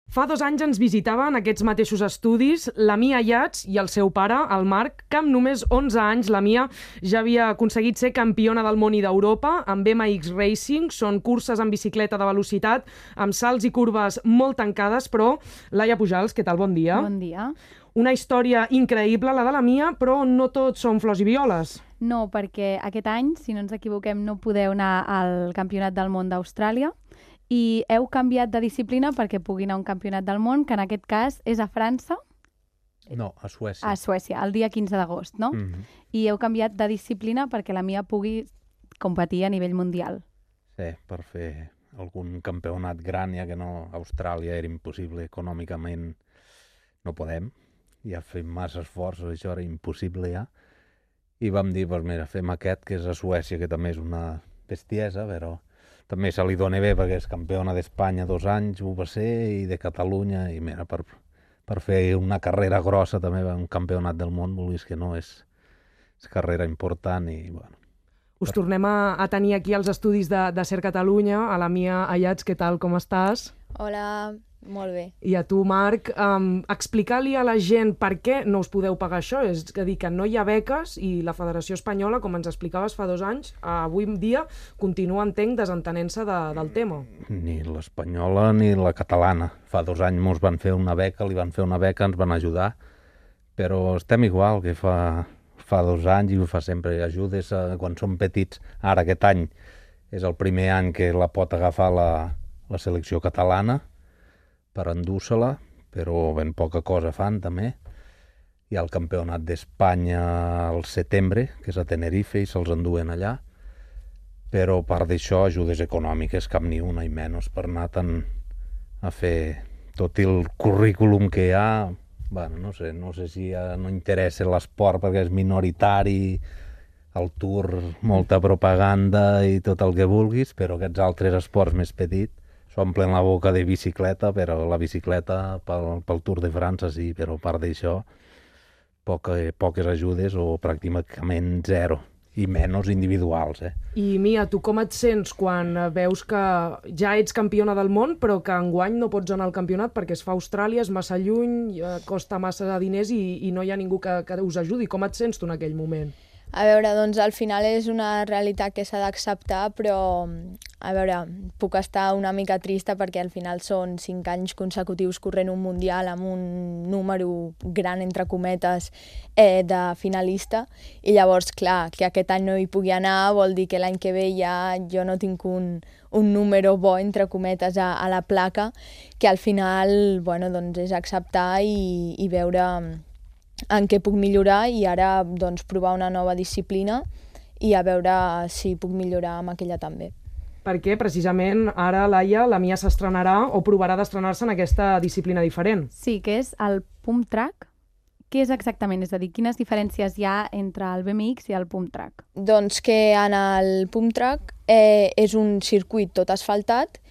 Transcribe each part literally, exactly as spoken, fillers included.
Fa dos anys ens visitaven aquests mateixos estudis la Mia Ayats i el seu pare, el Marc, que amb només onze anys la Mia ja havia aconseguit ser campiona del món i d'Europa amb M X Racing. Són curses en bicicleta de velocitat, amb salts i curves molt tancades, però Laia Pujals, què tal? Bon dia. Bon dia. Una història increïble, la de la Mia, però no tot són flors i violes. No, perquè aquest any, si no ens equivoquem, no podeu anar al Campionat del Món d'Austràlia i heu canviat de disciplina perquè pugui anar a un Campionat del Món, que en aquest cas és a França. No, a Suècia. A Suècia, el dia quinze d'agost, no? Mm-hmm. I heu canviat de disciplina perquè la Mia pugui competir a nivell mundial. Sí, per fer algun campionat gran, ja que no, a Austràlia era impossible econòmicament, no podem. Ja fem massa esforços, això era impossible ja. I vam dir, doncs mira, fem aquest, que és a Suècia, que també és una bestiesa, però també se li dona bé perquè és campiona d'Espanya dos anys, ho va ser, i de Catalunya, i mira, per, per fer una carrera grossa també, un campionat del món, vulguis que no, és, és carrera important i, bueno. Us tornem a, a tenir aquí als estudis de, de Ser Catalunya, a la Mia Ayats, què tal, com estàs? Hola, molt bé. I a tu, Marc, um, explicar-li a la gent per què no us podeu pagar això. És a dir, que no hi ha beques i la Federació Espanyola, com ens explicaves fa dos anys, avui en dia continua, entenc, desentenent-se de, del tema. Ni l'espanyola ni la catalana. Fa dos anys ens van fer una beca, li van fer una beca, ens van ajudar, però estem igual que fa, fa dos anys i ho fa sempre. Ajudes a, quan som petits. Ara, aquest any, és el primer any que la pot agafar la, la selecció catalana, per endur-se-la, però ben poca cosa fan també. Hi ha el campionat d'Espanya al setembre, que és a Tenerife, i se'ls enduen allà. Però a part d'això, ajudes econòmiques, cap ni una i menys per anar tant a fer tot el currículum que hi ha. Bueno, no sé, no sé si ja no interessa l'esport perquè és minoritari, el Tour, molta propaganda i tot el que vulguis, però aquests altres esports més petits s'omplen la boca de bicicleta, però la bicicleta pel, pel Tour de França sí, però a part d'això poca, poques ajudes o pràcticament zero, i menys individuals. Eh? I Mia, tu com et sents quan veus que ja ets campiona del món però que enguany no pots anar al campionat perquè es fa a Austràlia, és massa lluny, costa massa de diners i, i no hi ha ningú que, que us ajudi? Com et sents tu en aquell moment? A veure, doncs al final és una realitat que s'ha d'acceptar, però a veure, puc estar una mica trista perquè al final són cinc anys consecutius corrent un mundial amb un número gran, entre cometes, eh, de finalista, i llavors, clar, que aquest any no hi pugui anar vol dir que l'any que ve ja jo no tinc un, un número bo, entre cometes, a, a la placa, que al final, bueno, doncs és acceptar i, i veure en què puc millorar i ara doncs, provar una nova disciplina i a veure si puc millorar amb aquella també. Perquè precisament ara, Laia, la Mia s'estrenarà o provarà d'estrenar-se en aquesta disciplina diferent. Sí, que és el pump track. Què és exactament? És a dir, quines diferències hi ha entre el B M X i el pump track? Doncs que en el pump track eh, és un circuit tot asfaltat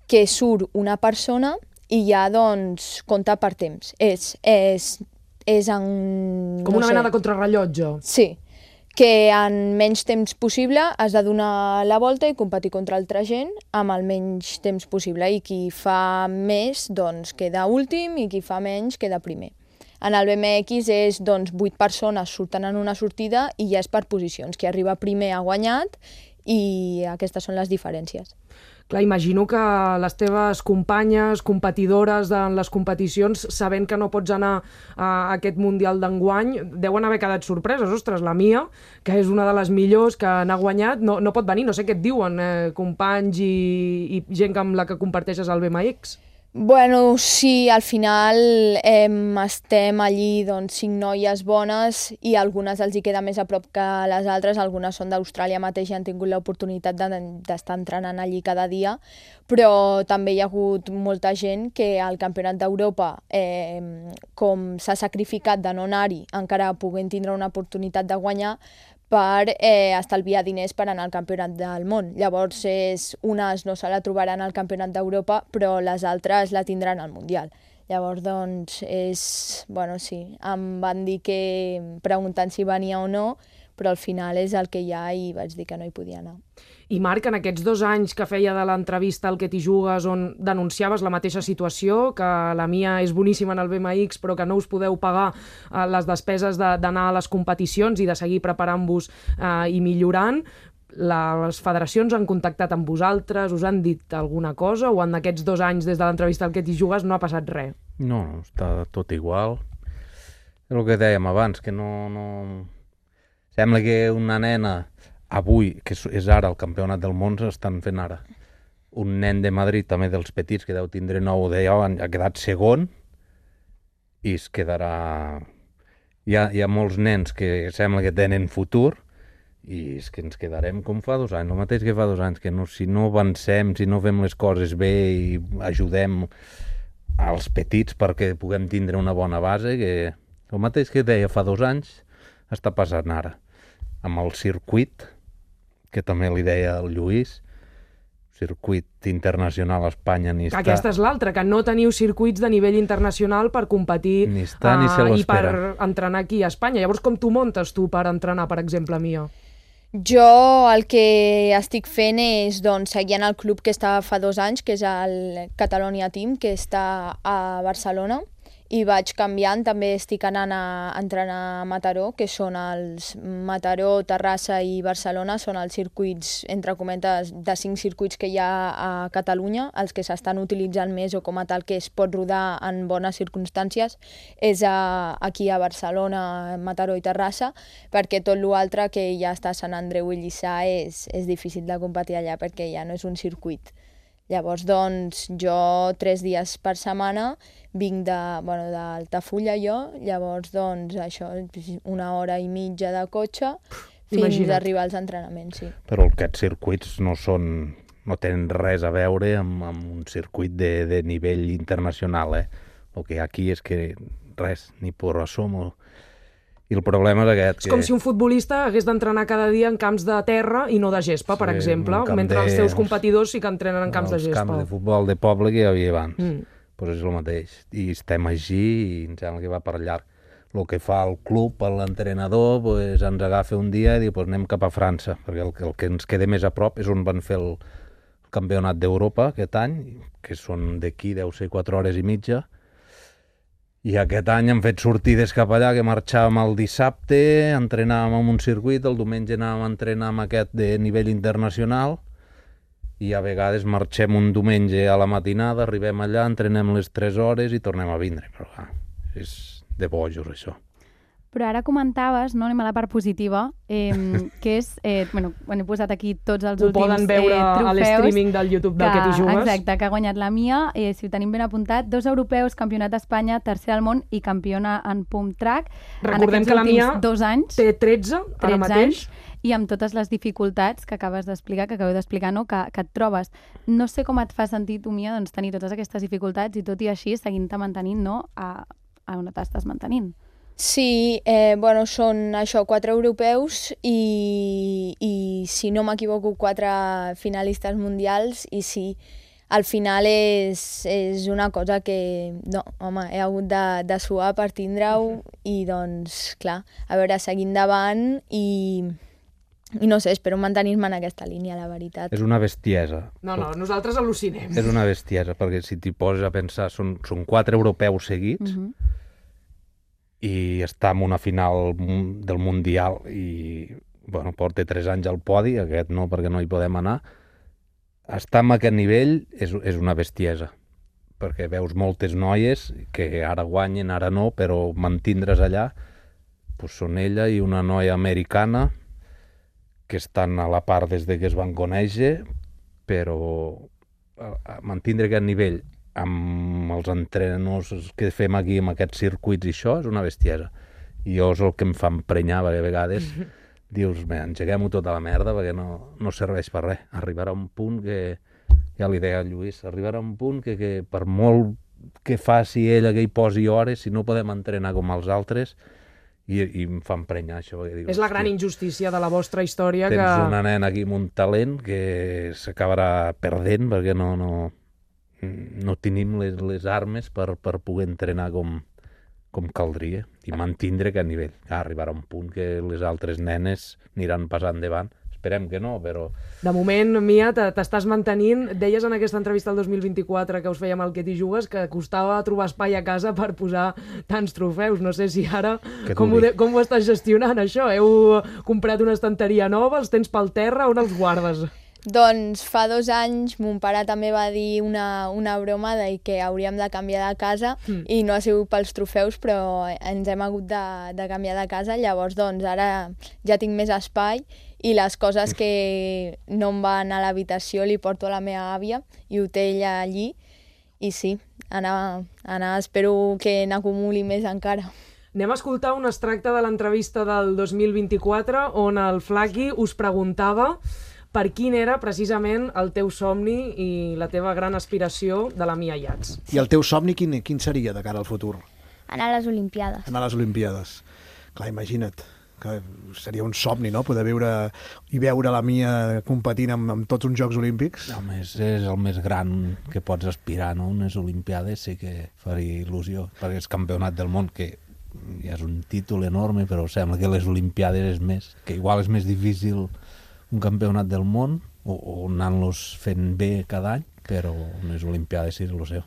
que surt una persona i ja doncs compta per temps. És... és és en... Com no una sé, mena de contrarrellotge. Sí, que en menys temps possible has de donar la volta i competir contra altra gent amb el menys temps possible, i qui fa més doncs queda últim i qui fa menys queda primer. En el B M X és doncs vuit persones surten en una sortida i ja és per posicions, qui arriba primer ha guanyat i aquestes són les diferències. Clar, imagino que les teves companyes, competidores en les competicions, sabent que no pots anar a aquest Mundial d'enguany, deuen haver quedat sorpreses. Ostres, la Mia, que és una de les millors que n'ha guanyat, no, no pot venir. No sé què et diuen, eh, companys i, i gent amb la que comparteixes el B M X. Bueno, sí, al final eh, estem allí doncs, cinc noies bones i algunes els hi queda més a prop que les altres, algunes són d'Austràlia mateix i han tingut l'oportunitat d'estar entrenant allí cada dia, però també hi ha hagut molta gent que al Campionat d'Europa, eh, com s'ha sacrificat de no anar-hi, encara puguin tindre una oportunitat de guanyar, per eh, estalviar diners per anar al Campionat del Món. Llavors, és, unes no se la trobaran al Campionat d'Europa, però les altres la tindran al Mundial. Llavors, doncs, és... Bueno, sí, em van dir que, preguntant si venia o no, però al final és el que hi ha i vaig dir que no hi podia anar. I Marc, en aquests dos anys que feia de l'entrevista al Que t'hi jugues, on denunciaves la mateixa situació, que la Mia és boníssima en el B M X, però que no us podeu pagar eh, les despeses d'anar a les competicions i de seguir preparant-vos eh, i millorant, les federacions han contactat amb vosaltres, us han dit alguna cosa, o en aquests dos anys des de l'entrevista al Que t'hi jugues no ha passat res? No, no, està tot igual. És el que dèiem abans, que no... no... Sembla que una nena, avui, que és ara el campionat del món, estan fent ara. Un nen de Madrid, també dels petits, que deu tindre nou o deu, ha quedat segon i es quedarà... Hi ha, hi ha molts nens que sembla que tenen futur i és que ens quedarem com fa dos anys, el mateix que fa dos anys, que no, si no avancem, si no fem les coses bé i ajudem als petits perquè puguem tindre una bona base, que el mateix que deia fa dos anys està passant ara. Amb el circuit, que també li deia el Lluís, circuit internacional a Espanya ni està... Aquesta és l'altra, que no teniu circuits de nivell internacional per competir ni està, ni se uh, i per l'espera. entrenar aquí a Espanya. Llavors, com t'ho muntes tu per entrenar, per exemple, Mia? Jo el que estic fent és doncs, seguir en el club que està fa dos anys, que és el Catalonia Team, que està a Barcelona, i vaig canviant, també estic anant a entrenar a Mataró, que són els Mataró, Terrassa i Barcelona, són els circuits, entre cometes, de cinc circuits que hi ha a Catalunya, els que s'estan utilitzant més o com a tal que es pot rodar en bones circumstàncies, és a, aquí a Barcelona, Mataró i Terrassa, perquè tot l'altre que ja està a Sant Andreu i Lliçà és, és difícil de competir allà perquè ja no és un circuit. Llavors, doncs, jo tres dies per setmana vinc de, bueno, d'Altafulla jo, llavors, doncs, això, una hora i mitja de cotxe fins Imagina't. a arribar als entrenaments, sí. Però aquests circuits no són, no tenen res a veure amb, amb un circuit de, de nivell internacional, eh? El que aquí és que res, ni por asomo. I el problema és aquest. És que... com si un futbolista hagués d'entrenar cada dia en camps de terra i no de gespa, per sí, exemple, mentre de... els teus competidors sí que entrenen en camps de gespa. Els camps de futbol de poble que hi havia abans. Mm. Pues és el mateix. I estem així i em sembla que va per llarg. El que fa el club, l'entrenador, pues, ens agafa un dia i diu pues, anem cap a França, perquè el, el que ens queda més a prop és on van fer el, el campionat d'Europa aquest any, que són d'aquí, deu ser quatre hores i mitja. I aquest any hem fet sortides cap allà, que marxàvem el dissabte, entrenàvem en un circuit, el diumenge anàvem a entrenar amb aquest de nivell internacional, i a vegades marxem un diumenge a la matinada, arribem allà, entrenem les tres hores i tornem a vindre. Però clar, és de bojos, això. Però ara comentaves, no, anem a la part positiva, eh, que és, eh, bueno, he posat aquí tots els Ho últims poden veure eh, trofeus a l'streaming del YouTube del Que t'hi jugues. Exacte, que ha guanyat la Mia, eh, si ho tenim ben apuntat, dos europeus, campionat d'Espanya, tercer al món i campiona en pump track. Recordem que la Mia dos anys, té tretze, ara mateix. Anys, i amb totes les dificultats que acabes d'explicar, que acabeu d'explicar, no? que, que et trobes. No sé com et fa sentir tu, Mia, doncs, tenir totes aquestes dificultats i tot i així seguint-te mantenint, no? a, a on t'estàs mantenint. Sí, eh, bueno, són això, quatre europeus i, i si no m'equivoco, quatre finalistes mundials i sí, al final és, és una cosa que, no, home, he hagut de, de suar per tindre-ho i doncs, clar, a veure, seguir endavant i, i no sé, espero mantenir-me en aquesta línia, la veritat. És una bestiesa. No, no, nosaltres al·lucinem. És una bestiesa, perquè si t'hi poses a pensar, són, són quatre europeus seguits, Uh-huh. i està en una final del Mundial i, bueno, porta tres anys al podi, aquest no, perquè no hi podem anar. Estar en aquest nivell és, és una bestiesa, perquè veus moltes noies que ara guanyen, ara no, però mantindre's allà, doncs són ella i una noia americana que estan a la part des de que es van conèixer, però a, a mantindre aquest nivell amb els entrenadors que fem aquí amb aquests circuits i això és una bestiesa. I jo és el que em fa emprenyar, perquè a vegades dius, engeguem-ho tota la merda perquè no, no serveix per res. Arribarà un punt que, ja li deia a Lluís, arribarà un punt que, que per molt que faci ella, que hi posi hores, si no podem entrenar com els altres, i, i em fa emprenyar això. Dic, és la gran injustícia de la vostra història. Tens que... una nena aquí amb un talent que s'acabarà perdent perquè no... no no tenim les, les armes per, per poder entrenar com, com caldria i mantindre aquest nivell. Arribarà un punt que les altres nenes aniran passant davant. Esperem que no, però... De moment, Mia, t'estàs mantenint. Deies en aquesta entrevista del dos mil vint-i-quatre que us fèiem al Què t'hi jugues que costava trobar espai a casa per posar tants trofeus. No sé si ara... Com ho, de, com ho estàs gestionant, això? Heu comprat una estanteria nova? Els tens pel terra? On els guardes? Doncs fa dos anys mon pare també va dir una, una broma de que hauríem de canviar de casa mm. i no ha sigut pels trofeus, però ens hem hagut de, de canviar de casa. Llavors, doncs, ara ja tinc més espai i les coses que no em van a l'habitació li porto a la meva àvia i ho té ella allí. I sí, anar, anar, espero que n'acumuli més encara. Anem a escoltar un extracte de l'entrevista del dos mil vint-i-quatre on el Flaqui us preguntava per quin era precisament el teu somni i la teva gran aspiració de la Mia Yats. I el teu somni quin, quin seria de cara al futur? Anar a les Olimpiades. Anar a les Olimpiades. Clar, imagina't, que seria un somni, no?, poder viure i veure la Mia competint amb, amb tots uns Jocs Olímpics. A més, és el més gran que pots aspirar, no? Unes Olimpiades sí que faria il·lusió, perquè és campionat del món, que ja és un títol enorme, però sembla que les Olimpiades és més, que igual és més difícil un campionat del món o, o anant-los fent bé cada any, però unes Olimpiades sí és el seu.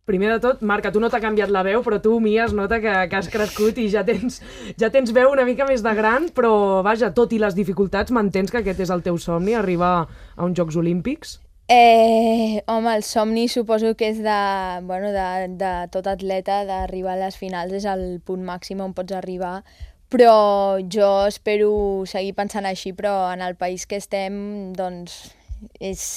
Primer de tot, Marc, a tu no t'ha canviat la veu, però tu, Mia, es nota que, que has crescut i ja tens, ja tens veu una mica més de gran, però vaja, tot i les dificultats, m'entens que aquest és el teu somni, arribar a uns Jocs Olímpics? Eh, home, el somni suposo que és de, bueno, de, de tot atleta, d'arribar a les finals, és el punt màxim on pots arribar, però jo espero seguir pensant així, però en el país que estem, doncs, és...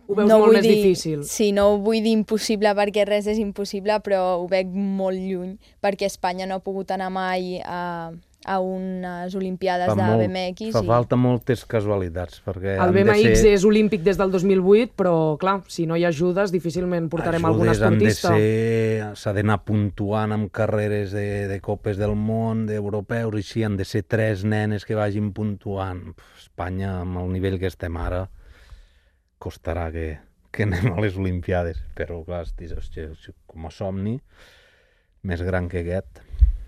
Ho veus no molt més dir, difícil. Sí, no ho vull dir impossible perquè res és impossible, però ho veig molt lluny, perquè Espanya no ha pogut anar mai a, a unes Olimpiades fa de molt, B M X. Fa i... falta moltes casualitats, perquè... El B M X de ser... és olímpic des del dos mil vuit, però, clar, si no hi ha ajudes, difícilment portarem algun esportista. S'ha d'anar puntuant amb carreres de, de Copes del Món, d'europeus, i així han de ser tres nenes que vagin puntuant. Espanya, amb el nivell que estem ara, costarà que, que anem a les Olimpiades, però clar, hosti, com a somni més gran que aquest.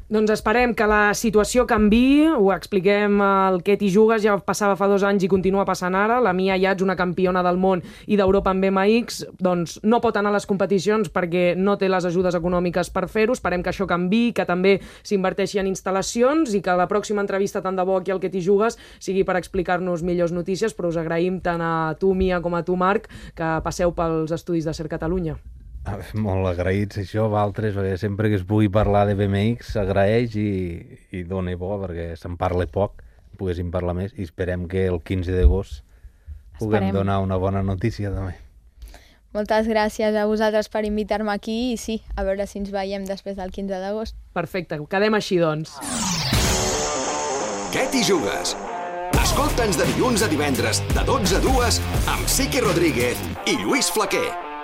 Doncs esperem que la situació canviï, ho expliquem al Què t'hi jugues, ja passava fa dos anys i continua passant ara, la Mia Yats, una campiona del món i d'Europa en B M X, doncs no pot anar a les competicions perquè no té les ajudes econòmiques per fer-ho, esperem que això canviï, que també s'inverteixi en instal·lacions i que la pròxima entrevista tant de bo aquí al Què t'hi jugues sigui per explicar-nos millors notícies, però us agraïm tant a tu, Mia, com a tu, Marc, que passeu pels estudis de Ser Catalunya. Molt agraïts això, Valtres, perquè sempre que es pugui parlar de B M X s'agraeix i, i dona bo, perquè se'n parla poc, poguéssim parlar més, i esperem que el quinze d'agost puguem donar una bona notícia també. Moltes gràcies a vosaltres per invitar-me aquí i sí, a veure si ens veiem després del quinze d'agost. Perfecte, quedem així doncs. Què t'hi jugues? Escolta'ns de dilluns a divendres de dotze a dues amb Sique Rodríguez i Lluís Flaquer.